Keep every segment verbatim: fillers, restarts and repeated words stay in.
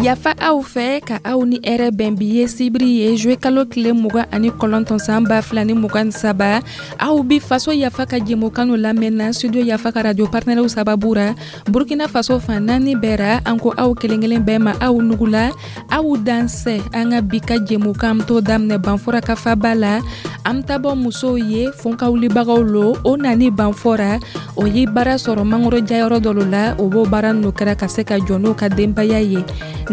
Yafa aw fɛ ka aw ni hɛrɛ bɛn. Bi ye sibiri ye, zuwe kalo tile mugan ani kɔnɔntɔn, san ba fila ni mugan ni saba. Aw bi Faso Yafa ka jɛmukan lamɛnna Studio Yafa ka radio partenaires sababu ra Burkina Faso fan naani bɛɛ ra. An ko aw kelen kelen bɛɛ ma, aw nugula, aw dansɛ. An ka bi ka jɛmukan to daminɛ Banfora ka faba la. An bɛ taa bɔ musow ye, fonkawulibagaw lo. O nani Banfora, o ye baara sɔrɔ mangoro jayɔrɔ dɔ la. O b'o baara ninnu kɛra ka se ka jɔ n'o ka denbaya ye.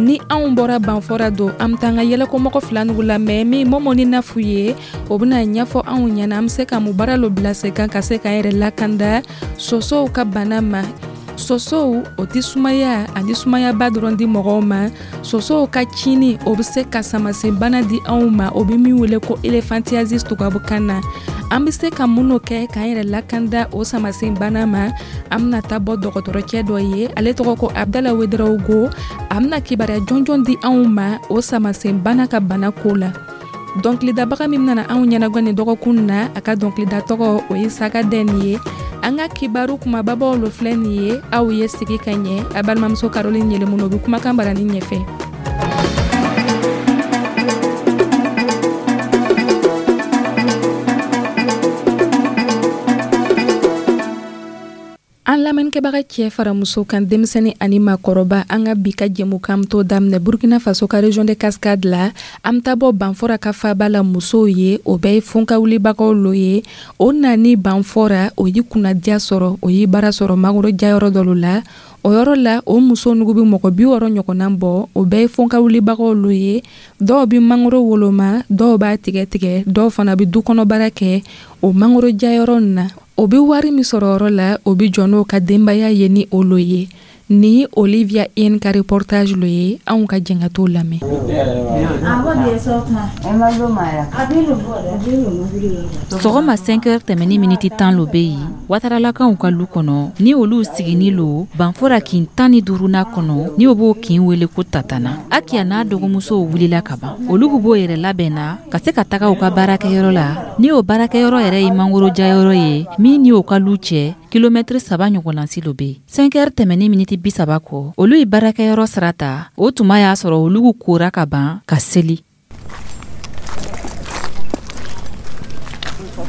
Ni anw bɔra Banfora don, an bɛ taa an ka yɛlɛkɔmɔgɔ fila nugu lamɛn, min Mɔmɔ ni Nafu ye. O bɛna ɲɛfɔ anw ɲɛna an bɛ se ka mun baara lo bila sen kan ka se k'an yɛrɛ lakanda sosow ka bana ma. Sosow, o tɛ sumaya ani sumayaba dɔrɔn di mɔgɔw ma. Sosow ka cini, o bɛ se ka samasen bana di anw ma, o bɛ min wele ko éléphantiasis tubabukan na. An bɛ se ka minnu kɛ k'an yɛrɛ lakanda o samasen bana ma, an bɛna taa bɔ dɔgɔtɔrɔcɛ dɔ ye, ale tɔgɔ ko Abdala Wedarawogo. A bɛna kibaruya jɔnjɔn di anw ma o samasen bana ka bana ko la. Dɔnkilidabaga min nana anw ɲɛnagɔ nin dɔgɔkun na, a ka dɔnkilida tɔgɔ, o ye Saga Den ye. An ka kibaru kumababaw lo filɛ nin ye. Aw ye sigi ka ɲɛ. A balimamuso Caroline Yɛlɛmunu bɛ kumakan barani ɲɛfɛ. An lamɛnnikɛbaga, cɛ fara muso kan, denmisɛnnin ani maakɔrɔba, an ka bi ka jɛmukan to daminɛ Burkina Faso ka région de Cascade la. An bɛ taa bɔ Banfora ka faba la musow ye. O bɛɛ ye fonkawulibagaw lo ye. O nani Banfora, o ye kunnadiya sɔrɔ, o ye baara sɔrɔ mangoro jayɔrɔ dɔ la. O yɔrɔ la, o muso nugu bɛ mɔgɔ bi wɔɔrɔ ɲɔgɔnna bɔ. O bɛɛ ye fonkawulibagaw lo ye. Dɔw bɛ mangoro woloma, dɔw b'a tigɛ tigɛ, dɔw fana bɛ du kɔnɔ baara kɛ o mangoro jayɔrɔ nin na. O bɛ wari min sɔrɔ yɔrɔ la, o bɛ jɔ n'o ka denbaya ye ni o lo ye. Ni Olivia In ka reportage lo ye, anw ka jɛn ka t'o lamɛn. Sɔgɔma cinq heures tɛmɛni miniti tan lo bɛ yen Wataralakaw ka lu kɔnɔ, ni olu sigini lo Banfora kin tan ni duurunan kɔnɔ, ni o b'o kin wele ko Tatana. Akiya n'a dɔgɔmusow wulila ka ban. Olu b'o yɛrɛ labɛn na ka se ka taga u ka baarakɛyɔrɔ la, ni o baarakɛyɔrɔ yɛrɛ ye mangoro jayɔrɔ ye min ni o ka lu cɛ kilomɛtiri saba ɲɔgɔnnasi lo be. cinq heures tɛmɛni miniti bi saba kɔ, olu ye baarakɛyɔrɔ sira ta. O tuma y'a sɔrɔ olu kora ka ban ka seli.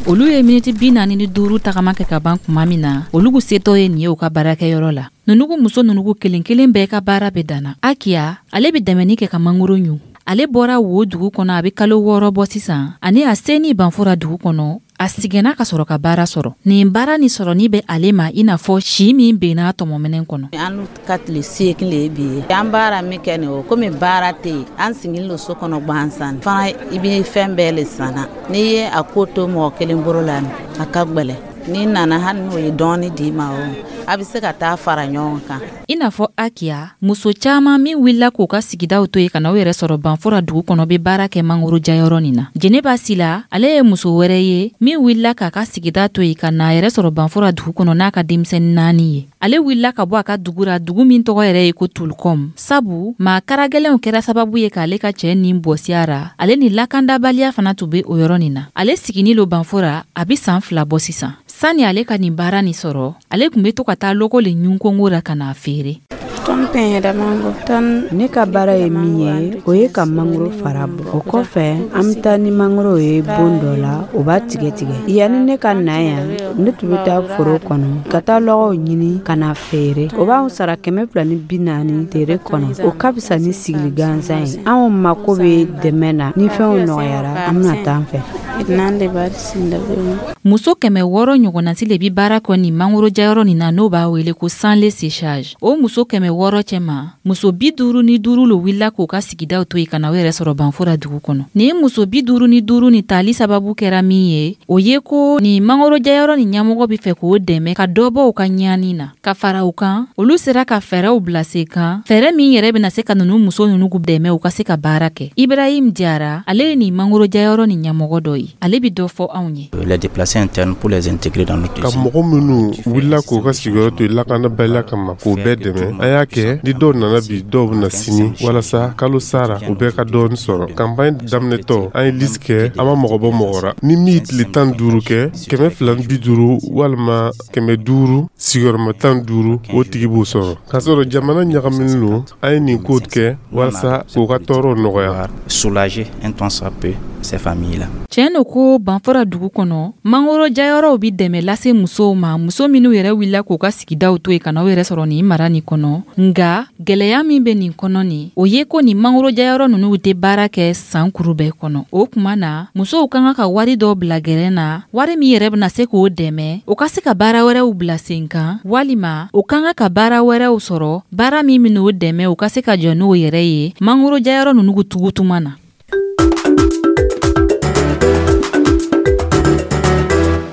Olu ye miniti bi naani ni duuru tagama kɛ ka ban kuma min na, olu setɔ ye nin ye u ka baarakɛyɔrɔ la. Nunugu muso nunugu kelen kelen bɛɛ ka baara bɛ danna. Akiya, ale bɛ dɛmɛni kɛ ka mangoro ɲu. Ale bɔra wo dugu kɔnɔ a bɛ kalo wɔɔrɔ bɔ sisan, ani a seni Banfora dugu kɔnɔ, a sigɛnna ka sɔrɔ ka baara sɔrɔ. Nin baara ni sɔrɔni bɛ ale ma i n'a fɔ si min benna tɔmɔminɛ kɔnɔ. An ka tile seegin le ye bi ye. An baara min kɛ nin, o komi baara tɛ yen, an sigilen don so kɔnɔ gansan fana. I bɛ fɛn bɛɛ le sanna. N'i ye a ko to mɔgɔ kelen bolo la, a ka gwɛlɛ. N'i nana, hali n'o ye dɔɔni d'i ma, o a bɛ se ka taa fara ɲɔgɔn kan. I n'a fɔ Akiya, muso caaman min wulila k'u ka sigidaw to yen ka na u yɛrɛ sɔrɔ Banfora dugu kɔnɔ, bɛ baara kɛ mangoro jayɔrɔ nin na. Jeneba Sila, ale ye muso wɛrɛ ye min wulila k'a ka sigida to yen ka na a yɛrɛ sɔrɔ Banfora dugu kɔnɔ n'a ka denmisɛnnin naani ye. Ale wulila ka bɔ a ka dugu ra, dugu min tɔgɔ yɛrɛ ye ko Tulukɔm, sabu maa karagɛlɛnw kɛra sababu ye k'ale ka cɛɛ nin bɔsiya ra. Ale ni lakandabaliya fana tun be o yɔrɔ nin na. Ale sigini lo Banfora a be saan fila bɔ sisan. Sani ale ka nin baara nin sɔrɔ, ale tun be to ka taa lɔgɔ le ɲun kongo ra ka n'a feere. Ne ka baara ye min ye, o ye ka mangoro fara bɔ. O kɔfɛ, an bɛ taa ni mangoro ye bon dɔ la, o b'a tigɛ tigɛ. Yanni ne ka na yan, ne tun bɛ taa foro kɔnɔ ka taa lɔgɔw ɲini ka na feere. O b'anw sara kɛmɛ fila ni bi naani tere kɔnɔ. O ka fisa ni sigili gansan ye. Anw mako bɛ dɛmɛ na. Ni fɛnw nɔgɔyara, an bɛna taa an fɛ. Muso kɛmɛ wɔɔrɔ ɲɔgɔnnasi le bi baara kɛ nin mangoro jayɔrɔ nin na, n'o b'a wele ko sans le séchage. O muso kɛmɛ wɔɔrɔ cɛma, muso bi duuru ni duuru lo wulila k'u ka sigidaw to yen ka na u yɛrɛ sɔrɔ Banfora dugu kɔnɔ. Nin muso bi duuru ni duuru ni tali sababu kɛra min ye, o ye ko nin mangoro jayɔrɔ nin ɲɛmɔgɔ be fɛ k'o dɛmɛ ka dɔ bɔ u ka ɲani na. Ka fara u kan, olu sera ka fɛɛrɛw bila sen kan, fɛɛrɛ min yɛrɛ bena se ka nunu muso nunu dɛmɛ u ka se ka baara kɛ. Ibrahim Jara, ale ye nin mangoro jayɔrɔ nin ɲɛmɔgɔ dɔ ye. ye. Ale bi dɔ fɔ anw ye. Les déplacés internes, pour les intégrer dans notre Ka mɔgɔ minnu wulila k'u ka sigiyɔrɔ to lakanabaliya kama, k'o bɛɛ dɛmɛ. An y'a kɛ ni dɔw nana bi, dɔw bɛna sini, walasa kalo sara u bɛɛ ka dɔɔni sɔrɔ. Campagne daminɛtɔ, an ye liste kɛ, an ma mɔgɔ bɔ mɔgɔ ra. Ni min ye tile tan duuru kɛ, kɛmɛ fila ni bi duuru walima kɛmɛ duuru sigiyɔrɔma tan duuru, o tigi b'o sɔrɔ. K'a sɔrɔ jamana ɲagaminen don, an ye nin ko kɛ walasa k'u ka tɔɔrɔw nɔgɔya. Soulager un tant soit peu ces familles-là. Tiɲɛ no ko Banfora dugu kɔnɔ, mangoro jayɔrɔw bi dɛmɛ lase musow ma, muso minw yɛrɛ wulila k'u ka sigidaw to yen ka n'aw yɛrɛ sɔrɔ nin mara nin kɔnɔ. Nga gwɛlɛya min bɛ nin kɔnɔ nin, o ye ko nin mangoro jayɔrɔ ninnu tɛ baara kɛ san kuru bɛɛ kɔnɔ. O kuma na, musow ka kan ka wari dɔ bila gɛrɛn na, wari min yɛrɛ bɛna se k'o dɛmɛ o ka se ka baara wɛrɛw bila sen kan, walima o ka kan ka baara wɛrɛw sɔrɔ, baara min bɛn'o dɛmɛ u ka se ka jɔ n'o yɛrɛ ye mangoro jayɔrɔ ninnu tugutuma na.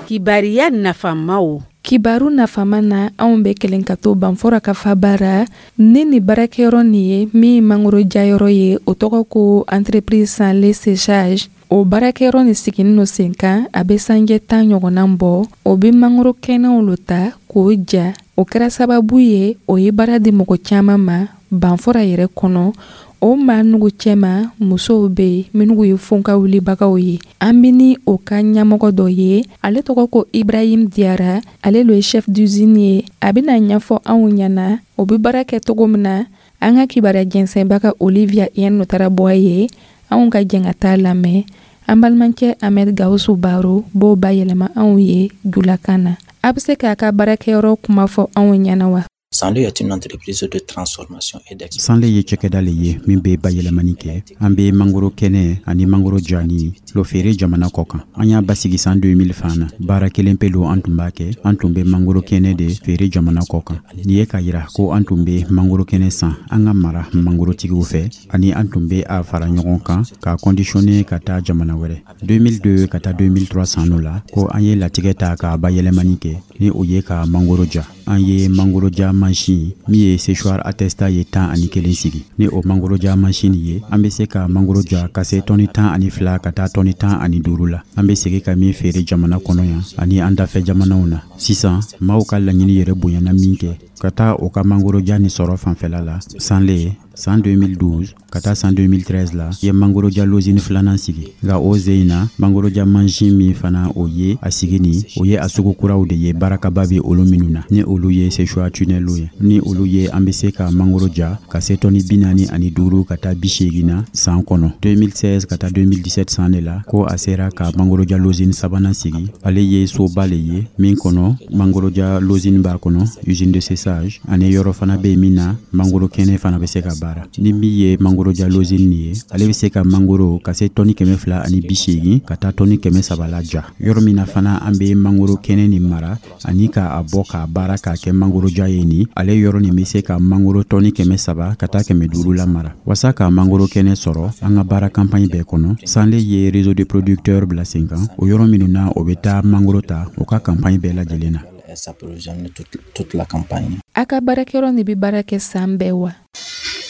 Kibariya nafamaw. Kibaru nafama na, anw bɛ kelen ka to Banfora ka fabara ni ni baarakɛyɔrɔ nin ye min mangoro jayɔrɔ ye, o tɔgɔ ko Entreprise Sanle Séchage. O baarakɛyɔrɔ nin siginin no sen kan, a bɛ sanjɛ tan ɲɔgɔnna bɔ. O bɛ mangoro kɛnɛw lo ta k'o ja. O kɛra sababu ye, o ye baara di mɔgɔ caman ma Banfora yɛrɛ kɔnɔ. O maa nugu cɛma, musow bɛ yen minnu ye fonka wulibagaw ye. An bɛ ni o ka ɲɛmɔgɔ dɔ ye, ale tɔgɔ ko Ibrahim Diyara, ale lo ye chef d'usine ye. A bɛna ɲɛfɔ anw ɲɛna o bɛ baara kɛ cogo min na. An ka kibaruya jɛnsɛnbaga Olivia Yen taara bɔ a ye. Anw ka jɛn ka taa lamɛn. An balimakɛ Ahmed Gawusu Baro b'o bayɛlɛma anw ye julakan na. A bɛ se k'a ka baarakɛyɔrɔ kuma fɔ anw ɲɛna wa? Sanle est une entreprise de transformation et d'export. Sanle ye cakɛda le ye min bɛ bayɛlɛmani kɛ. An bɛ mangoro kɛnɛ ani mangoro jani lo feere jamana kɔ kan. An y'a basigi san deux mille fan na. Baara kelen pe lo an tun b'a kɛ, an tun bɛ mangoro kɛnɛ de feere jamana kɔ kan. Nin ye k'a yira ko an tun bɛ mangoro kɛnɛ san an ka mara mangorotigiw fɛ, ani an tun bɛ a fara ɲɔgɔn kan k'a conditionner ka taa jamana wɛrɛ. deux mille deux ka taa deux mille trois san la ko an ye latigɛ ta k'a bayɛlɛmani kɛ, ni o ye ka mangoro ja. An ye mangoro ja mansin min ye séchoir à testa ye tan ani kelen sigi. Ni o mangoro ja mansin ye, an bɛ se ka mangoro ja ka se tɔni tan ani fila ka taa tɔni tan ani duuru la, an bɛ segin ka min feere jamana kɔnɔ yan ani an dafɛ jamanaw na. Sisan maaw ka laɲini yɛrɛ bonyana min kɛ ka taa o ka mangoro ja ni sɔrɔ fanfɛla la, Sanle san deux mille douze ka taa san deux mille treize la ye mangoroja lozini filanan sigi. Nka o ze in na, mangoroja mansin min fana o ye a sigi ni o ye a sugu kuraw de ye, baarakaba bɛ olu minnu na, ni olu ye séchoir tunnel ye. Ni olu ye, an bɛ se ka mangoro ja ka se tɔni bi naani ani duuru ka taa bi seegin na san kɔnɔ. deux mille seize ka taa deux mille dix-sept san de la ko a sera ka mangoroja lozini sabanan sigi. Ale ye soba le ye min kɔnɔ mangoroja lozini b'a kɔnɔ, usine de séchage, ani yɔrɔ fana bɛ yen min na mangoro kɛnɛ fana bɛ se ka baara. Ni min ye mangoroja lozini nin ye, ale bɛ se ka mangoro ka se tɔni kɛmɛ fila ani bi seegin ka taa tɔni kɛmɛ saba la ja. Yɔrɔ min na fana an bɛ mangoro kɛnɛ nin mara ani k'a bɔ k'a baara k'a kɛ mangoroja ye nin, ale yɔrɔ nin bɛ se ka mangoro tɔni kɛmɛ saba ka taa kɛmɛ duuru la mara. Wasa ka mangoro kɛnɛ sɔrɔ an ka baara campagne bɛɛ kɔnɔ, Sanle ye réseau de producteurs bila sen kan, o yɔrɔ minnu na o bɛ taa mangoro ta o ka campagne bɛɛ lajɛlen na. S'approvisionner toute, toute la campagne. A ka baarakɛyɔrɔ nin bɛ baara kɛ san bɛɛ wa?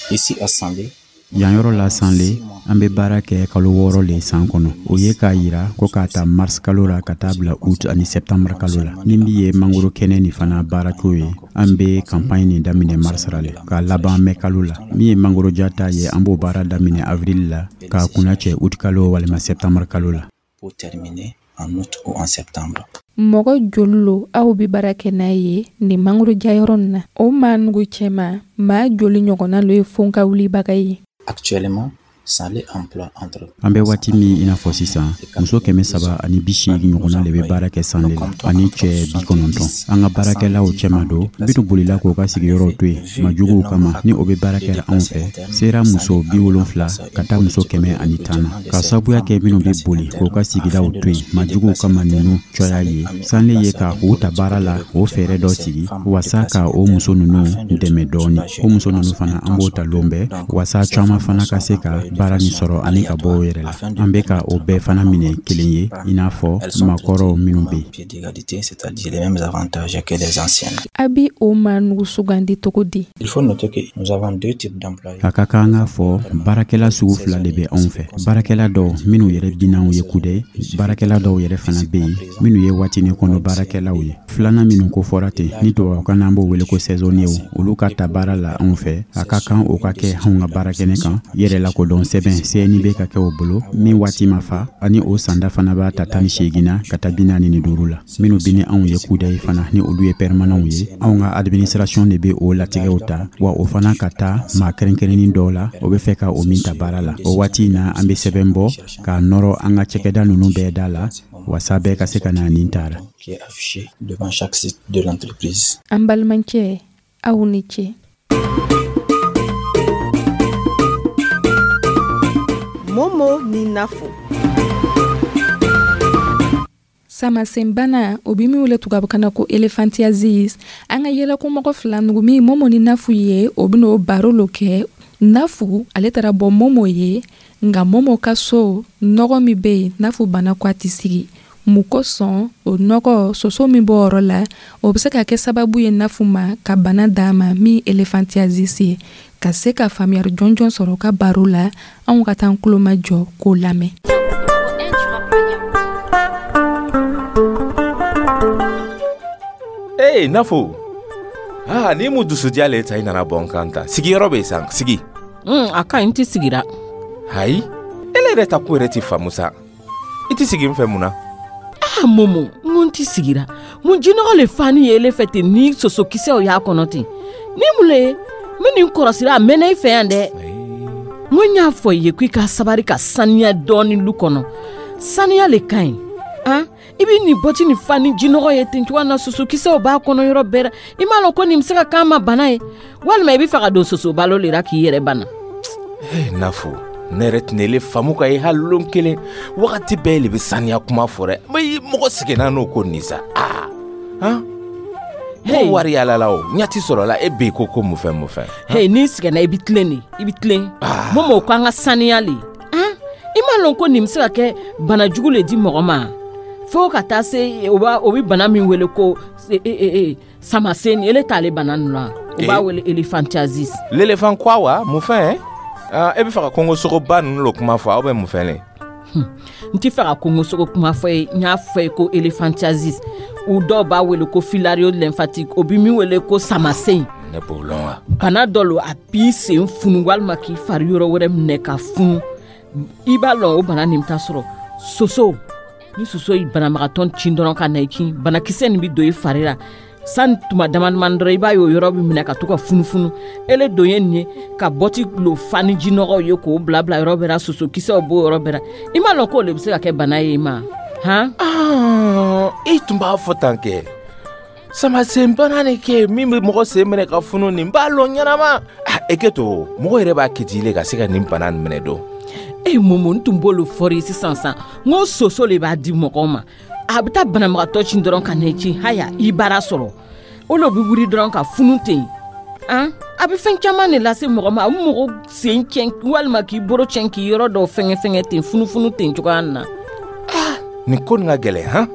Ici à Sanlé, Yan yɔrɔ la Sanle, an bɛ baara kɛ kalo wɔɔrɔ le san kɔnɔ. O ye k'a yira ko k'a ta mars kalo la ka taa bila août ani septembre kalo la. Ni min ye mangoro kɛnɛ nin fana baaraco ye, an bɛ campagne nin daminɛ mars ra le k'a laban mai kalo la. Min ye mangoro ja ta ye, an b'o baara daminɛ avril la k'a kunna cɛ août kalo walima septembre kalo la. Pour terminer en août ou en septembre. Mɔgɔ joli lo aw bɛ baara kɛ n'a ye nin mangoro jayɔrɔ nin na? O maa nugu cɛma, maa joli ɲɔgɔnna lo ye fonka wulibaga ye? Actuellement, Sanlé emploie entre An bɛ waati min i n'a fɔ sisan, muso kɛmɛ saba ani bi seegin ɲɔgɔnna de bɛ baara kɛ Sanle la, ani cɛ bi kɔnɔntɔn. An ka baarakɛlaw cɛma don minnu bolila k'u ka sigiyɔrɔw to yen majuguw kama, ni o bɛ baara kɛra anw fɛ, sera muso bi wolonfila ka taa muso kɛmɛ ani tan na. Ka sababuya kɛ minnu bɛ boli k'u ka sigidaw to yen majuguw kama ninnu cɔya ye, Sanle ye ka u ta baara la, o fɛɛrɛ dɔ sigi wasa ka o muso ninnu dɛmɛ dɔɔni. O muso ninnu fana, an b'o ta lon bɛɛ wasa caman fana ka se ka baara nin sɔrɔ ani ka bɔ o yɛrɛ la. An bɛ ka o bɛɛ fana minɛ kelen ye, i n'a fɔ maakɔrɔw minnu bɛ yen. A bi o maa nugu sugandi cogo di? A ka kan k'a fɔ, baarakɛla sugu fila de bɛ anw fɛ: baarakɛla dɔw minnu yɛrɛ binanw ye kudɛ, baarakɛla dɔw yɛrɛ fana bɛ yen minnu ye waatinin kɔnɔ baarakɛlaw ye. Filanan minnu ko fɔra ten, ni tubabukan na an b'o wele ko saisonniers, olu ka ta baara la anw fɛ, a ka kan o ka kɛ anw ka baarakɛnɛ kan yɛrɛ lakodɔn sɛbɛn C N I B ka kɛ o bolo min waati ma fa, ani o sanda fana b'a ta tan ni seegin na ka taa bi naani ni duuru la. Minnu bi ni anw ye kudɛ fana, ni olu ye permanents ye, anw ka administration de bɛ o latigɛw ta, wa o fana ka taa maa kɛrɛnkɛrɛnnin dɔw la, o bɛ fɛ ka o min ta baara la. O waati in na, an bɛ sɛbɛn bɔ k'a nɔrɔ an ka cakɛda ninnu bɛɛ da la, wasa bɛɛ ka se ka na nin ta la. An balimakɛ, aw ni ce. Momo ni Nafo. Samasenbana, o bi min wele tubabukan na ko éléphantiasis, an ka yɛlɛkomɔgɔ fila nugu min Momo ni Nafu ye, o bɛn'o baro lo kɛ. Nafu ale taara bɔ Momo ye, nka Momo ka so nɔgɔ min bɛ yen, Nafu bana ko a tɛ sigi mun kosɔn. O nɔgɔ soso min b'o yɔrɔ la, o bɛ se ka kɛ sababu ye Nafu ma ka bana d'a ma min éléphantiasis ye. Ka se ka faamuyali jɔnjɔn sɔrɔ ka baro la, anw ka taa an tulomajɔ k'o lamɛn. Ee Nafo, ah, ni mu dusudiya le ta i nana bɔ n kan ta. Sigiyɔrɔ bɛ yen san, sigi. Mm, a ka ɲi, n tɛ sigira. Hayi, ele yɛrɛ ta ko yɛrɛ ti faamu sa. I ti sigi n fɛ mun na? Ah Momo, n ko n ti sigira. Mun jinɔgɔ le fani ye ele fɛ ten ni sosokisɛw y'a kɔnɔ ten? Ni mun le ye? N bɛ nin kɔrɔsira a mɛnna i fɛ yan dɛ. N ko n y'a fɔ i ye ko i ka sabari ka saniya dɔɔni lu kɔnɔ. Saniya le ka ɲi. Han? I bɛ nin bɔti nin fa ni jinɔgɔ ye ten cogoya na, sosokisɛw b'a kɔnɔ yɔrɔ bɛɛ la. I m'a lɔn ko nin bɛ se ka k'an ma bana ye, walima i bɛ fɛ ka don soso balo le la k'i yɛrɛ bana. Ee Nafo, ne yɛrɛ tɛna ele faamu ka ye hali lon kelen. Wagati bɛɛ le bɛ saniya kuma fɔ dɛ. Mɔgɔ seginna n'o ko nin sa. Aa han, mɔgɔ wari yala la o ɲɛ ti sɔrɔ la, e bɛ ko ko mun fɛn mun fɛn. Hey, n'i sɛgɛnna i bɛ tilen de, i bɛ tilen. Momo ko an ka saniya le. Han, i m'a lɔn ko nin bɛ se ka kɛ bana jugu le di mɔgɔ ma, fo ka taa se o b'a o bɛ bana min wele ko samasen, ele t'ale bana ninnu la, o b'a wele éléphantiasis. L'éléphant quoi wa mun fɛn? E bɛ fɛ ka kongosogoba ninnu lo kuma fɔ, aw bɛ mun fɛn le? N tɛ fɛ ka kongosogo kuma fɔ ye, n y'a fɔ ye ko éléphantiasis, u dɔw b'a wele ko filariose lymphatique, o bɛ min wele ko samasen. Ne b'o lɔn wa? Bana dɔ lo, a b'i sen funu walima k'i fari yɔrɔ wɛrɛ minɛ ka funu. I b'a lɔn o bana nin bɛ taa sɔrɔ soso. Ni soso ye banabagatɔ cin dɔrɔn ka na i kin, banakisɛ nin bɛ don i fari la sani tuma dama dama dɔrɔn, i b'a ye o yɔrɔ bɛ minɛ ka to ka funufunu. Ele don ye nin ye ka bɔti lo fa ni jinɔgɔw ye k'o bila bila yɔrɔ bɛɛ la, sosokisɛw b'o yɔrɔ bɛɛ la. I m'a lɔn k'o le bɛ se ka kɛ bana ye i ma? Han, e tun b'a fɔ tan kɛ samasenbana de kɛ min bɛ mɔgɔ sen minɛ ka funu, nin b'a lɔn ɲɛnama. E kɛ to mɔgɔ yɛrɛ b'a kɛ ten ka se ka nin bana nin minɛ don. E Momo, n tun b'olu fɔri ye sisan san, n ko soso le b'a di mɔgɔw ma. A bɛ taa banabagatɔ cin dɔrɔn ka na i cin, haya i baara sɔrɔ. O le bɛ wuli dɔrɔn ka funu ten. Han, a bɛ fɛn caman de lase mɔgɔ ma, a bɛ mɔgɔ sen tiɲɛ walima k'i bolo tiɲɛ, k'i yɔrɔ dɔw fɛngɛ fɛngɛ ten, funufunu ten cogoya nin na. Nin ko nin ka gɛlɛn han.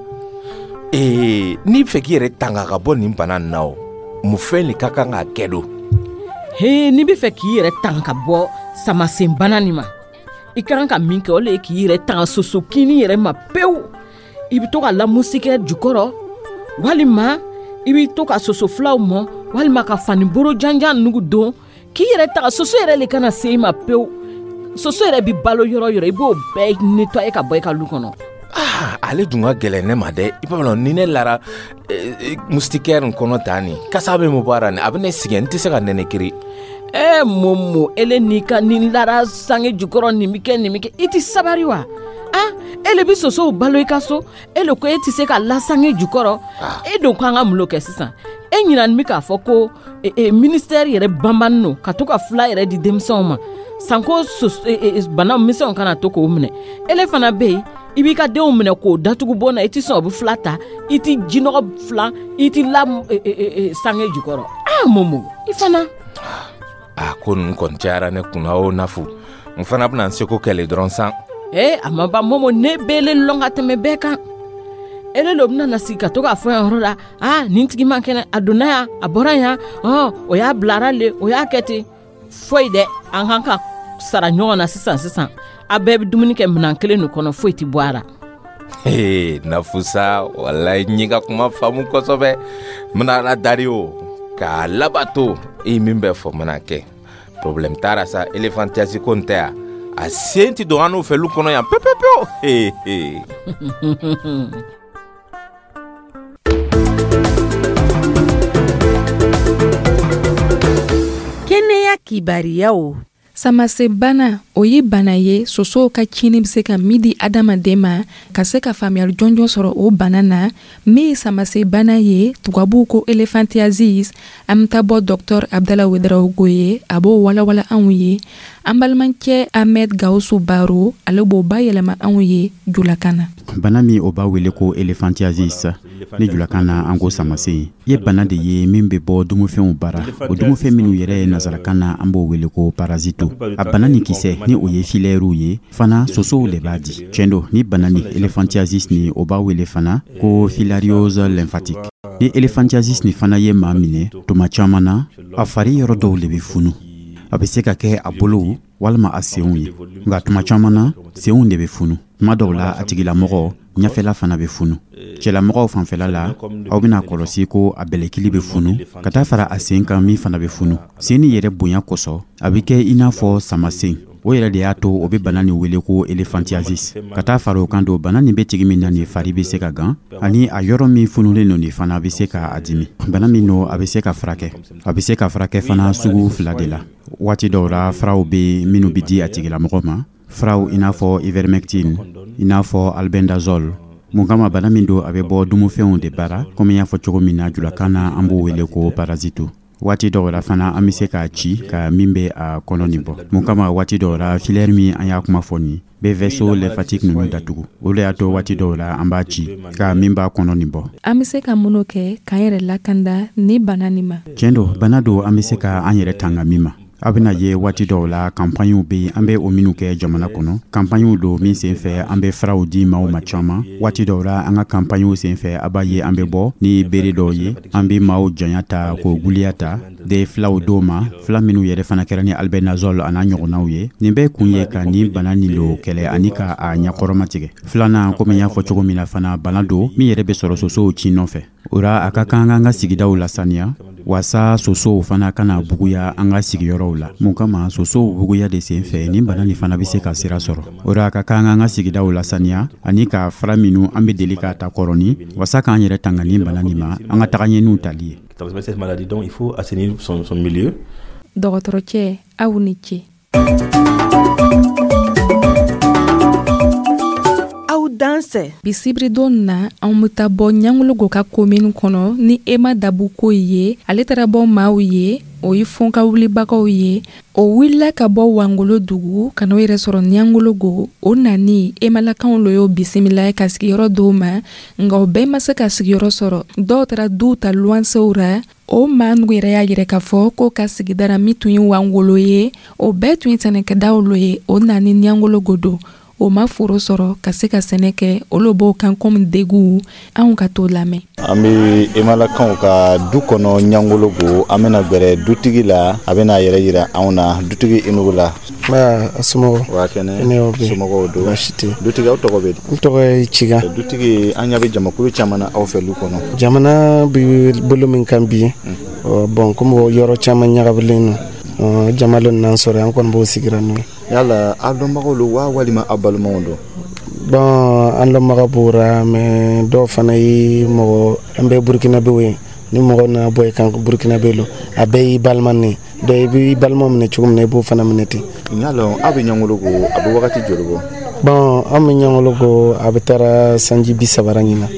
Ee n'i bɛ fɛ k'i yɛrɛ tanga ka bɔ nin bana nin na o, mun fɛn de ka kan ka kɛ don? He, n'i bɛ fɛ k'i yɛrɛ tanga ka bɔ samasenbana nin ma, i ka kan ka min kɛ, o le ye k'i yɛrɛ tanga soso kinni yɛrɛ ma pewu. I bɛ to ka la moustiquaire jukɔrɔ, walima i bɛ to ka soso filaw mɔ, walima ka fani boro janjan nugu don k'i yɛrɛ tanga soso yɛrɛ le kana se i ma pewu. Soso yɛrɛ bɛ balo yɔrɔ yɔrɔ, i b'o bɛɛ nettoyer ka bɔ i ka lu kɔnɔ. Ah, ale dun ka gɛlɛn ne ma dɛ. I b'a dɔn ni ne lara moustiquaire nin kɔnɔ tan nin, kasa bɛ mun bɔ a la nin, a bɛ ne sɛgɛn, n tɛ se ka nɛnɛ kiri. Eh Momo, ele n'i ka ni lara sange jukɔrɔ nin bɛ kɛ nin bɛ kɛ, i tɛ sabari wa? Ah, ele bɛ sosow balo i ka so, e le ko e tɛ se ka la sange jukɔrɔ. E don ko an ka mun kɛ sisan? E ɲinani bɛ k'a fɔ ko e, e, ministère yɛrɛ banbannen don ka to ka fila yɛrɛ di denmisɛnw ma, sanko e, e, bana misɛnw kana to k'o minɛ. Ele fana bɛ yen, i b'i ka denw minɛ k'o datugu bon na, i tɛ sɔn o bɛ fila ta, i tɛ jinɔgɔ fila, i tɛ la e, e, e, sange jukɔrɔ. Ah Momo, i fana. A ko ninnu kɔni cayara ne kunna o Nafu. N fana bɛna n seko kɛ le dɔrɔn san. Ee, a ma ban Momo, ne b'ele lɔn ka tɛmɛ bɛɛ kan. Ele lo bɛna na sigi ka to k'a fɔ yan yɔrɔ la, aa, nin tigi man kɛnɛ, a donna yan, a bɔra yan, ɔn, o y'a bilara le, o y'a kɛ ten. Foyi dɛ, an kan ka sara ɲɔgɔn na sisan sisan. A bɛɛ bɛ dumuni kɛ minɛn kelen nin kɔnɔ, foyi tɛ bɔ a la. Ee, Nafusa, walayi, n y'i ka kuma faamu kosɛbɛ. N bɛna Ala dari o k'a labato. I ye min bɛɛ fɔ, n bɛna kɛ. Problème t'a la sa. Éléphantiasis ko n tɛ yan, a sen tɛ don an n'o fɛ lu kɔnɔ yan pewu pewu pewu. Ee ee. Kɛnɛya kibariyaw. Samasebana, o ye bana ye sosow ka cini bɛ se ka min di adamaden ma. Ka se ka faamuyali jɔnjɔn sɔrɔ o bana na, min ye samasebana ye, tubabuw ko éléphantiasis, an bɛ taa bɔ docteur Abdala Ouédraogo ye, a b'o walawala anw ye. An balimakɛ Ahmed Gawusu Baro, ale b'o bayɛlɛma anw ye julakan na. Bana min o b'a wele ko éléphantiasis ni julakan na an ko samasen, ye bana de ye min bɛ bɔ dumufɛnw bara. O dumufɛn minnu yɛrɛ ye nazarakan na an b'o wele ko parasito. A bana ni kisɛ ni o ye filɛriw ye fana, sosow le b'a di. Tiɲɛ don, ni bana ni éléphantiasis ni o b'a wele fana ko filariose lymphatique. Ni éléphantiasis ni fana ye maa minɛ, tuma caman na a fari yɔrɔ dɔw le bɛ funu. A bɛ se ka kɛ a bolow walima a senw ye, nka tuma caman na senw de bɛ funu. Tuma dɔw la a tigilamɔgɔ ɲɛfɛla fana bɛ funu. Cɛlamɔgɔw fanfɛla la, aw bɛna kɔlɔsi ko a bɛlɛkili bɛ funu ka taa fara a sen kan min fana bɛ funu. Sen ni yɛrɛ bonya kosɔn, a bɛ kɛ i n'a fɔ samasen. O yɛrɛ de y'a to o bɛ bana nin wele ko éléphantiasis. Ka taa fara o kan don, bana nin bɛ tigi min na nin fari bɛ se ka gan, ani a yɔrɔ min fununen don nin fana bɛ se ka a dimi. Bana min don, a bɛ se ka furakɛ. A bɛ se ka furakɛ fana sugu fila de la. Waati dɔw la furaw bɛ minnu bɛ di a tigilamɔgɔ ma, furaw i n'a fɔ ivermectine, i n'a fɔ albendazole. Mun kama? Bana min don, a bɛ bɔ dumufɛnw de bara, komi n y'a fɔ cogo min na julakan na an b'o wele ko parasito. Waati dɔw la fana an bɛ se k'a ci ka min bɛ a kɔnɔ nin bɔ. Mun kama? Waati dɔw la filaire min an y'a kuma fɔ nin bɛ vaisseau lymphatique ninnu datugu. O de y'a to waati dɔw la an b'a ci ka min b'a kɔnɔ nin bɔ. An bɛ se ka mun kɛ k'an yɛrɛ lakanda ni bana nin ma? Tiɲɛ don, bana don an bɛ se ka an yɛrɛ tanga min ma. A bɛna ye waati dɔw la kanpaɲiw bɛ yen, an bɛ o minnu kɛ jamana kɔnɔ. Kanpaɲiw don min sen fɛ an bɛ furaw di maaw ma caman. Waati dɔw la an ka kanpaɲiw sen fɛ, a b'a ye an bɛ bɔ ni bere dɔw ye, an bɛ maaw janya ta k'o guliya ta de filaw dɔw ma, fila minnu yɛrɛ fana kɛra ni albendazole a n'a ɲɔgɔnnaw ye. Nin bɛɛ kun ye ka nin bana nin lo kɛlɛ ani ka a ɲɛkɔrɔma tigɛ. Filanan, komi n y'a fɔ cogo min na fana, bana don min yɛrɛ bɛ sɔrɔ sosow ci nɔfɛ. O la a ka kan an ka sigidaw lasaniya waasa sosow fana kana buguya an ka sigiyɔrɔw la. Mun kama? Sosow buguya de sen fɛ nin bana nin fana bɛ se ka sira sɔrɔ. O la a ka kan an ka sigidaw lasaniya ani ka fura minnu an bɛ deli k'a ta kɔrɔni waasa k'an yɛrɛ tanga nin bana nin ma, an ka taga ɲɛniw tali ye. Dɔgɔtɔrɔcɛ, aw ni ce. Dansɛ. Bi sibiridon na, anw bɛ taa bɔ Ɲangologo ka komini kɔnɔ ni Ema Dabuko ye. Ale taara bɔ maaw ye, o ye fɔnka wulibagaw ye. O wulila ka bɔ Wangolo dugu ka n'o yɛrɛ sɔrɔ Ɲangologo. O nani Emalakaw lo y'o bisimila ka sigiyɔrɔ d'o ma, nka o bɛɛ ma se ka sigiyɔrɔ sɔrɔ. Dɔw taara duw ta luwansew ra. O maa nugu yɛrɛ y'a yɛrɛ k'a fɔ ko ka sigidara min tun ye Wangolo ye, o bɛɛ tun ye sɛnɛkɛdaw lo ye. O nani Ɲangologo don, o ma foro sɔrɔ ka se ka sɛnɛ kɛ. Olu b'o kan komi degun. Anw ka t'o lamɛn. An bɛ Emalakaw ka du kɔnɔ Ɲangologo. An bɛna gbɛrɛ dutigi la, a bɛna a yɛrɛ yira anw na. Dutigi, i nugu la. Nba, a somɔgɔw? Wa kɛnɛ, somɔgɔw don? Baasi tɛ. Dutigi, aw tɔgɔ bɛ di? N tɔgɔ ye Ciga. Dutigi, an ɲɛ bɛ jamakulu caman na aw fɛ lu kɔnɔ. Jamana bɛ bolo min kan bi, bon, komi yɔrɔ caman ɲagamilen don, jama dɔ n'an sɔrɔ, an kɔni b'o sigira n'o ye. Yala aw dɔnbagaw don wa walima aw balimaw don? Bon, an dɔnbaga b'o ra, mais dɔw fana ye mɔgɔ, an bɛɛ Burukinabew ye. Ni mɔgɔ nana bɔ i kan Burukinabe lo, a bɛɛ y'i balima ne. Donc i b'i balima minɛ cogo min na, i b'o fana minɛ ten. N y'a lɔn aw bɛ Ɲangologo, a bɛ wagati joli bɔ? Bon, an bɛ Ɲangologo, a bɛ taara sanji bi saba ɲinan.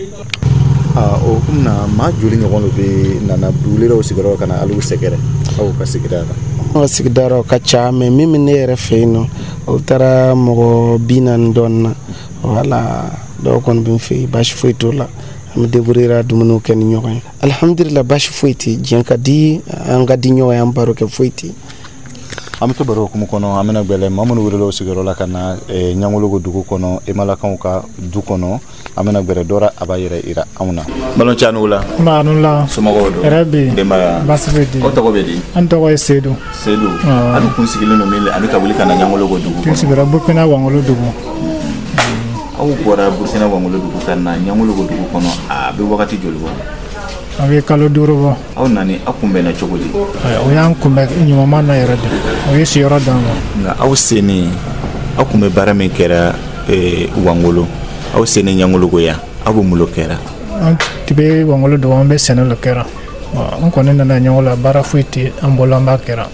Aa, o hukumu na, maa joli ɲɔgɔn de bɛ nana duguleraw sigiyɔrɔ ka na alu sɛgɛrɛ aw ka sigida la? An ka sigida la, o ka ca, mais min bɛ ne yɛrɛ fɛ yen nɔ, o taara mɔgɔ bi naani dɔɔnin na. Wala dɔw kɔni bɛ n fɛ yen, baasi foyi t'o la. An bɛ débrouiller dumuniw kɛ ni ɲɔgɔn ye. Alihamudulila, baasi foyi tɛ. Diɲɛ ka di, an ka di ɲɔgɔn ye, an baro kɛ, foyi tɛ. An bɛ to baro hukumu kɔnɔ, an bɛna gbɛlɛ maa minnu welela o sigiyɔrɔ la ka na Ɲangologo dugu kɔnɔ, Emalakaw ka du kɔnɔ. An bɛna gbɛrɛ dɔ ra, a b'a yɛrɛ yira anw na. Balimakɛ, a ni wula. Nba, a ni wula. Somɔgɔw don? Hɛrɛ bɛ yen. Denbaya? Baasi foyi tɛ yen. Aw tɔgɔ bɛ di? An tɔgɔ ye Sedu. Sedu, aw kun sigilen don min ani ka wuli ka na Ɲangologo dugu kɔnɔ? N sigira Burukina Wangolo dugu. Aw bɔra Burukina Wangolo dugu ka na Ɲangologo dugu kɔnɔ, a bɛ wagati joli bɔ? A bɛ kalo duuru bɔ. Aw nani, aw kunbɛnna cogo di? O y'an kunbɛn ɲuman na yɛrɛ de, o ye siyɔrɔ d'an ma. Nka aw sennen, aw kun bɛ baara min kɛra Wangolo, aw sennen Ɲangologo yan, aw bɛ mun kɛra? An tun bɛ Wangolo dugu, an bɛ sɛnɛ le kɛra. An kɔni nana ɲɔgɔn la, baara foyi tɛ an bolo an b'a kɛra.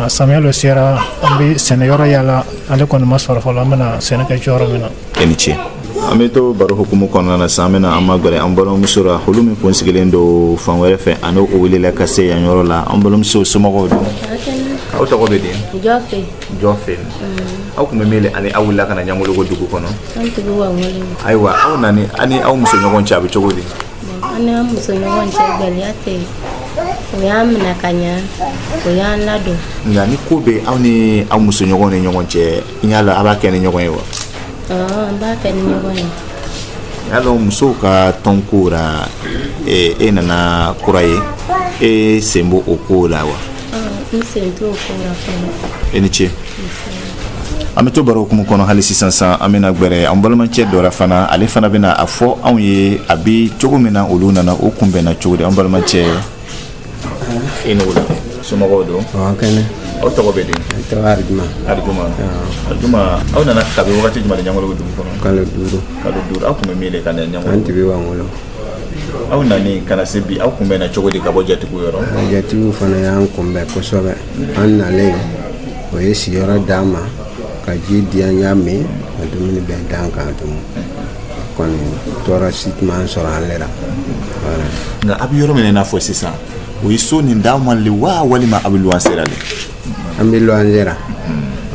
Samiya lo sera, an bɛ sɛnɛyɔrɔ yala, ale kɔni ma sɔrɔ fɔlɔ, an bɛna sɛnɛ kɛ yɔrɔ min na. E ni ce. An bɛ to baro hukumu kɔnɔna na sisan, an bɛna an magɛrɛ an balimamuso la, olu min kun sigilen don fan wɛrɛ fɛ, ani o welela ka se yan yɔrɔ la. An balimamuso, somɔgɔw don? Aw tɔgɔ bɛ di? Jɔfe. Jɔfe. Aw kun bɛ min ani aw wulila ka na Ɲangologo dugu kɔnɔ? An tun bɛ Wangolo. Ayiwa, aw nani, ani aw muso ɲɔgɔn cɛ, a bɛ cogo di? An ni an muso ɲɔgɔn cɛ, gɛlɛya tɛ yen. O y'an minɛ ka ɲa, o y'an ladon. Nka ni ko bɛ aw ni aw muso ɲɔgɔn ni ɲɔgɔn cɛ, n y'a la, a b'a kɛ ni ɲɔgɔn ye wa? An b'a kɛ ni ɲɔgɔn ye. Y'a dɔn, musow ka tɔnko la, e nana kura ye, e sen b'o o ko la wa? N sen t'o ko la fɔlɔ. E ni ce. An bɛ to baro hukumu kɔnɔ hali sisan san, an bɛna gbɛrɛ an balimacɛ dɔ la fana, ale fana bɛna a fɔ anw ye a bɛ cogo min na, olu nana, o kunbɛnna cogo di. An balimacɛ, e ni wula. Somɔgɔw don? Kɛnɛ. Aw tɔgɔ bɛ di? Ne tɔgɔ Arijuma. Arijuma, Arijuma, aw nana kabi wagati jumɛn de Ɲangologo dugu kɔnɔ? Kalo duuru. Kalo duuru. Aw kun bɛ min de ka na Ɲangologo? An tun bɛ Wangolo. Aw nani ka na se bi, aw kunbɛnna cogo di ka bɔ jatigiw yɔrɔ? Jatigiw fana y'an kunbɛn kosɛbɛ. An nalen, o ye sigiyɔrɔ d'an ma, ka ji di an y'a min, ka dumuni bɛɛ d'an kan dun. Kɔni tɔɔrɔ si tun m'an sɔrɔ an lera. Nka a bɛ yɔrɔ min na i n'a fɔ sisan, o ye so nin d'aw ma le wa, walima a bɛ luwanse la le? An bɛ luwanse la.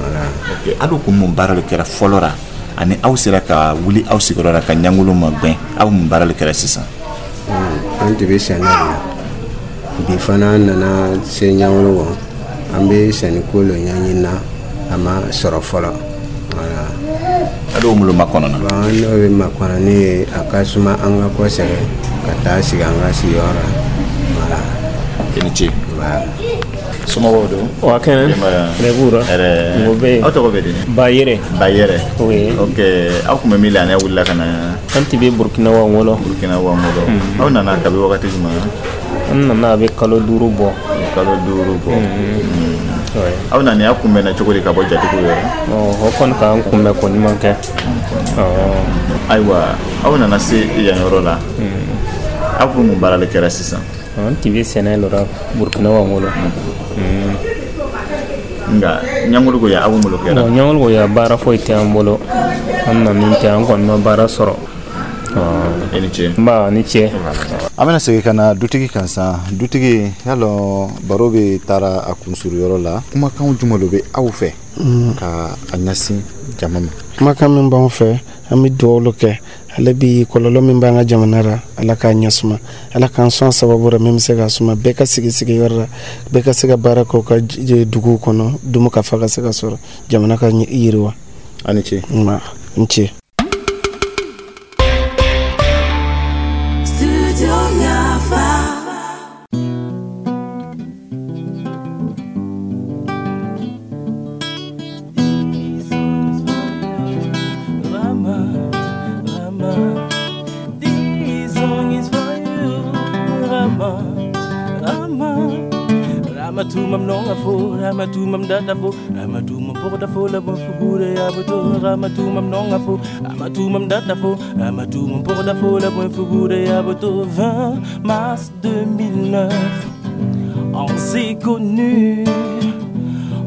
Voilà. Ok, aw kun mun baara de kɛra fɔlɔ la ani aw sera ka wuli aw sigiyɔrɔ la ka Ɲangolo magɛn, aw mun baara de kɛra sisan? An tun bɛ sɛnɛ de la. Bi fana an nana se Ɲangolo, an bɛ sɛnɛko lo ɲɛɲini na, a ma sɔrɔ fɔlɔ. Voilà. A dɔw mun makɔnɔ na? Bon, an n'o bɛ makɔnɔ ne ye, a ka suma an ka kɔsɛgɛ ka taa sigi an ka sigiyɔrɔ la. Voilà. I ni ce. Somɔgɔw don? Wa kɛnɛ. Denbaya? B'u Hɛrɛ. Mɔgɔ bɛ yen. Aw tɔgɔ bɛ di? Bayɛrɛ. Bayɛrɛ. Oui. Ok, aw kun bɛ min la ani aw wulila ka na? An tun bɛ Burukina Wangolo. Burukina Wangolo. Aw nana kabi wagati jumɛn? An nana a bɛ kalo duuru bɔ. Kalo duuru bɔ. Aw nana, aw kunbɛnna cogo di ka bɔ jatigiw yɔrɔ? O kɔni k'an kunbɛn ko ɲuman kɛ. Ayiwa, aw nana se yan yɔrɔ la, aw kun mun baara de kɛra sisan? An tun bɛ sɛnɛ la Burukina Wangolo. Nka Ɲangologo yan, aw mun kɛra? Ɲangologo yan, baara foyi tɛ an bolo. An nana tɛ, an kɔni ma baara sɔrɔ. E ni ce. Nba, ni ce. An bɛna segin ka na dutigi kan san. Dutigi, y'a lɔn, baro bɛ taara a kunsuruyɔrɔ la, kumakan jumɛn de bɛ aw fɛ ka a ɲɛsin jama ma? Kumakan min b'anw fɛ, an bɛ dugawu kɛ ale bi, kɔlɔlɔ min b'an ka jamana la, Ala k'a ɲɛsuma, Ala k'an sɔn sababu la min bɛ se ka suma, bɛɛ ka sigi sigiyɔrɔ la, bɛɛ ka se ka baara kɛ u ka duguw kɔnɔ, dumu ka fa ka se ka sɔrɔ, jamana ka yiriwa. A ni ce. Nba, n ce. vingt mars deux mille neuf, on s'est connus,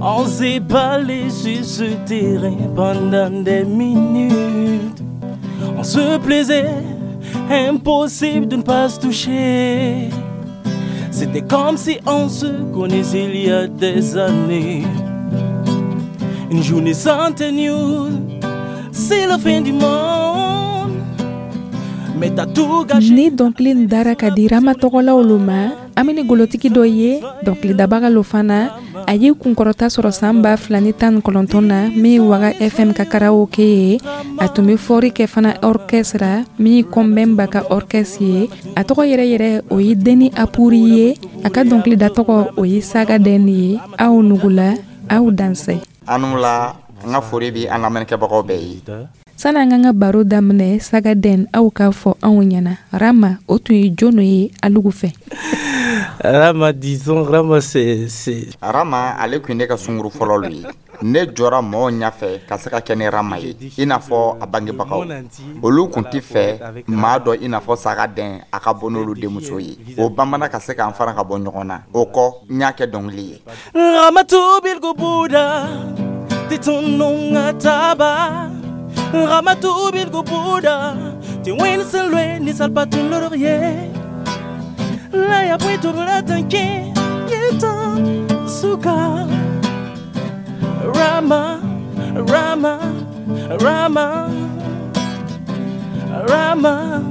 on s'est parlé sur ce terrain pendant des minutes. On se plaisait, impossible de ne pas se toucher. C'était comme si on se connaissait il y a des années. Une journée sans tes news, c'est la fin du monde. Mais t'as tout gâché. Ni dɔnkili nin dara ka di Rama tɔgɔlaw lo ma, an bɛ ni golotigi dɔ ye, dɔnkilidabaga lo fana, A ye kunkɔrɔta sɔrɔ san ba fila ni tan ni kɔnɔntɔn na min ye Waga F M ka karaoke ye. A tun bɛ fɔri kɛ fana orchestre min ye Kɔnbɛnba ka orchestre ye. A tɔgɔ yɛrɛ yɛrɛ, o ye Deni Apuri ye. A ka dɔnkilida tɔgɔ, o ye Saga Den ye. Aw nugula, aw dansɛ. Anu la, n ka foli bi an lamɛnnikɛbagaw bɛɛ ye. Sani an k'an ka baro daminɛ, Saga Den, aw k'a fɔ anw ɲɛna, Rama, o tun ye jɔn ye alugu fɛ? Rama, disons, Rama, c'est... c'est- Rama, ale kun ye ne ka sunkuru fɔlɔ lu ye. Ne jɔra mɔɔw ɲɛfɛ ka se ka kɛ ni Rama ye, i n'a fɔ a bangebagaw, olu kun tɛ fɛ maa dɔ i n'a fɔ Saga Den a ka bɔ n'olu denmuso ye. O banbana ka se k'an fara ka bɔ ɲɔgɔn na. O kɔ, n y'a kɛ dɔnkili ye. Ramatou Bilgo Bouda, Titununga Taba. Ramatou Bilgo Bouda, Tiwin Ni Salpatun Laurier. La ya pweto tanke, Suka. Rama, Rama, Rama, Rama,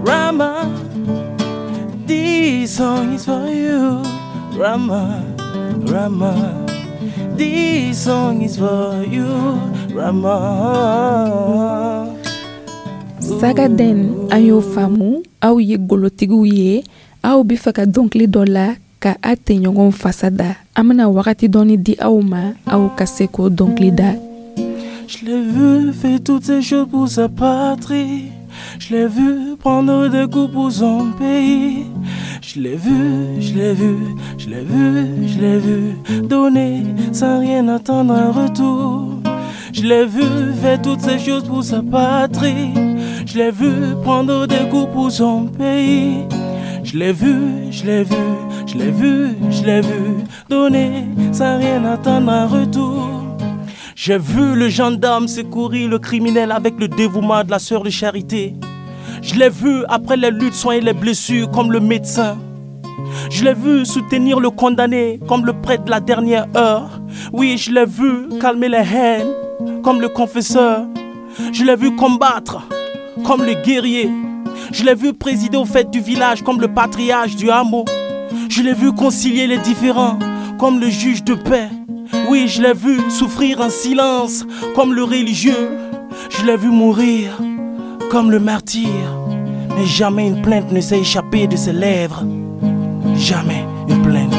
Rama. This song is for you, Rama, Rama. This song is for you, Rama. Saga Den, an y'o faamu, aw ye golotigiw ye. Aw be fɛ ka dɔnkili dɔ la ka a tɛɲɔgɔn fasa da. An bena wagati dɔɔni di aw ma, aw ka se k'o dɔnkili da. Je l'ai vu faire toutes ces choses pour sa patrie. Je l'ai vu prendre des coups pour son pays. Je l'ai vu, je l'ai vu, je l'ai vu, je l'ai vu donner sans rien attendre en retour. Je l'ai vu faire toutes ces choses pour sa patrie. Je l'ai vu prendre des coups pour son pays. Je l'ai vu, je l'ai vu, je l'ai vu, je l'ai vu donner sans rien attendre en retour. J'ai vu le gendarme secourir le criminel avec le dévouement de la sœur de charité. Je l'ai vu après les luttes soigner les blessures comme le médecin. Je l'ai vu soutenir le condamné comme le prêtre de la dernière heure. Oui, je l'ai vu calmer les haines comme le confesseur. Je l'ai vu combattre comme le guerrier. Je l'ai vu présider aux fêtes du village comme le patriarche du hameau. Je l'ai vu concilier les différends comme le juge de paix. Oui, je l'ai vu souffrir en silence comme le religieux. Je l'ai vu mourir comme le martyr. Mais jamais une plainte ne s'est échappée de ses lèvres. Jamais une plainte.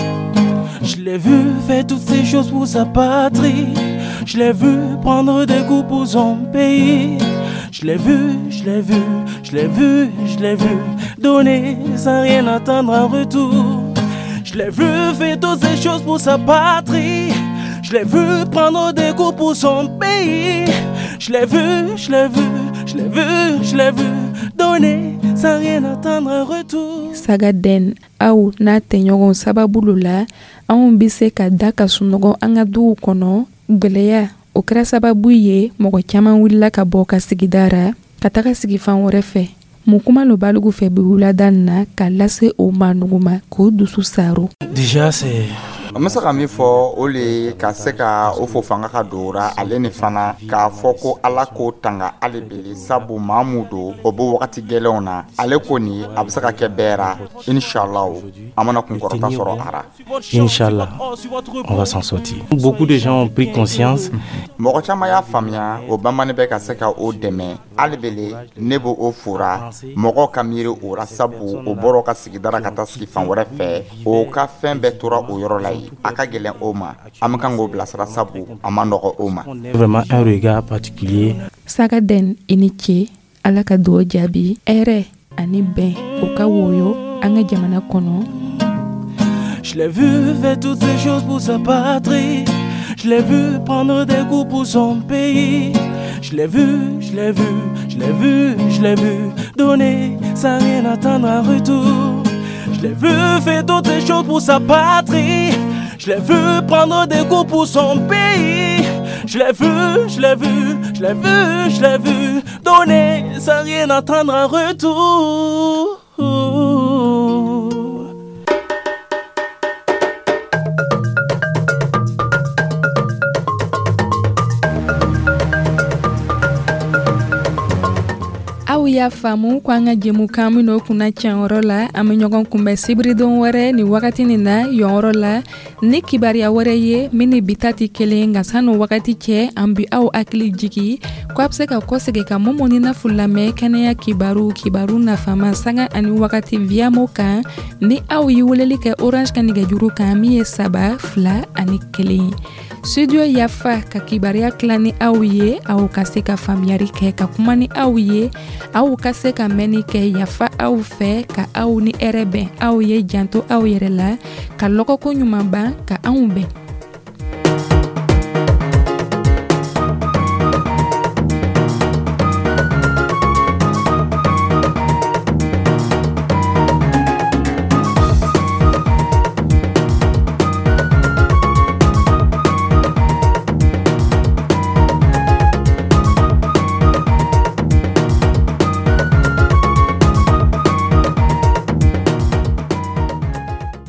Je l'ai vu faire toutes ces choses pour sa patrie. Je l'ai vu prendre des coups pour son pays. Je l'ai vu, je l'ai vu, je l'ai vu, je l'ai vu donner sans rien attendre en retour. Je l'ai vu faire toutes ces choses pour sa patrie. Je l'ai vu prendre des coups pour son pays. Je l'ai vu, je l'ai vu, je l'ai vu, je l'ai vu donner sans rien attendre en retour. Saga Den, aw n'a tɛɲɔgɔn sababu lo la, anw be se ka da ka sunɔgɔ an ka duw kɔnɔ. Gwɛlɛya o kɛra sababu ye, mɔgɔ caaman wulila ka bɔ ka sigida ra ka taga sigi fan wɛrɛ fɛ. Mun kuma lo b'alugu fɛ bi wulada nin na ka lase o ma nugu ma k'o dusu saro? Déjà, c'est N bɛ se ka min fɔ, o le ye ka se ka o fo fanga ka don ra ale ni fana k'a fɔ ko Ala k'o tanga hali bele, sabu maa mun don, o bɛ wagati gɛlɛnw na. Ale ko nin a bɛ se ka kɛ bɛɛ ra. Inshallah, an mana kunkɔrɔta sɔrɔ a ra. Inch'Allah, on va s'en sortir. Beaucoup de gens ont pris conscience. Mɔgɔ caman y'a faamuya, o banbani bɛ ka se ka o dɛmɛ hali bele. Ne b'o o fora mɔgɔw ka miiri o ra, sabu o bɔra ka sigida ra ka taa sigi fan wɛrɛ fɛ, o ka fɛn bɛɛ tora o yɔrɔ la yen. A ka gɛlɛn o ma. An bɛ kan k'o bilasira, sabu a ma nɔgɔ o ma. Vraiment un regard particulier. Saga Den, i ni ce. Ala ka dugawu jaabi. Hɛrɛ ani bɛn, o ka woyo an ka jamana kɔnɔ. Je l'ai vu faire toutes ces choses pour sa patrie. Je l'ai vu prendre des coups pour son pays. Je l'ai vu, je l'ai vu, je l'ai vu, je l'ai vu donner sans rien attendre en retour. Je l'ai vu faire toutes ces choses pour sa patrie. Je l'ai vu prendre des coups pour son pays. Je l'ai vu, je l'ai vu, je l'ai vu, je l'ai vu donner sans rien attendre en retour. Aw Y'a faamu ko an ka jɛmukan min o kunna cɛnyɔrɔ la, an bɛ ɲɔgɔn kunbɛn sibiridon wɛrɛ ni wagati nin na yɔnyɔrɔ la ni kibaruya wɛrɛ ye min ni bi ta tɛ kelen. Nka sani wagati cɛ, an bi aw hakili jigi ko a bɛ se ka kɔsegin ka Momo ni Nafu lamɛn kɛnɛya kibaru, kibaru nafama, sanga ani wagati Viamo kan, ni aw ye weleli kɛ Orange ka nɛgɛjuru kan min ye saba fila ani kelen. Studio Yafa ka kibaruya tila ni aw ye, aw ka se ka faamuyari kɛ, ka kuma ni aw ye, aw ka se ka mɛnni kɛ. Yafa aw fɛ ka aw ni hɛrɛ bɛn. Aw ye janto aw yɛrɛ la, ka lɔgɔko ɲuman ban ka anw bɛn.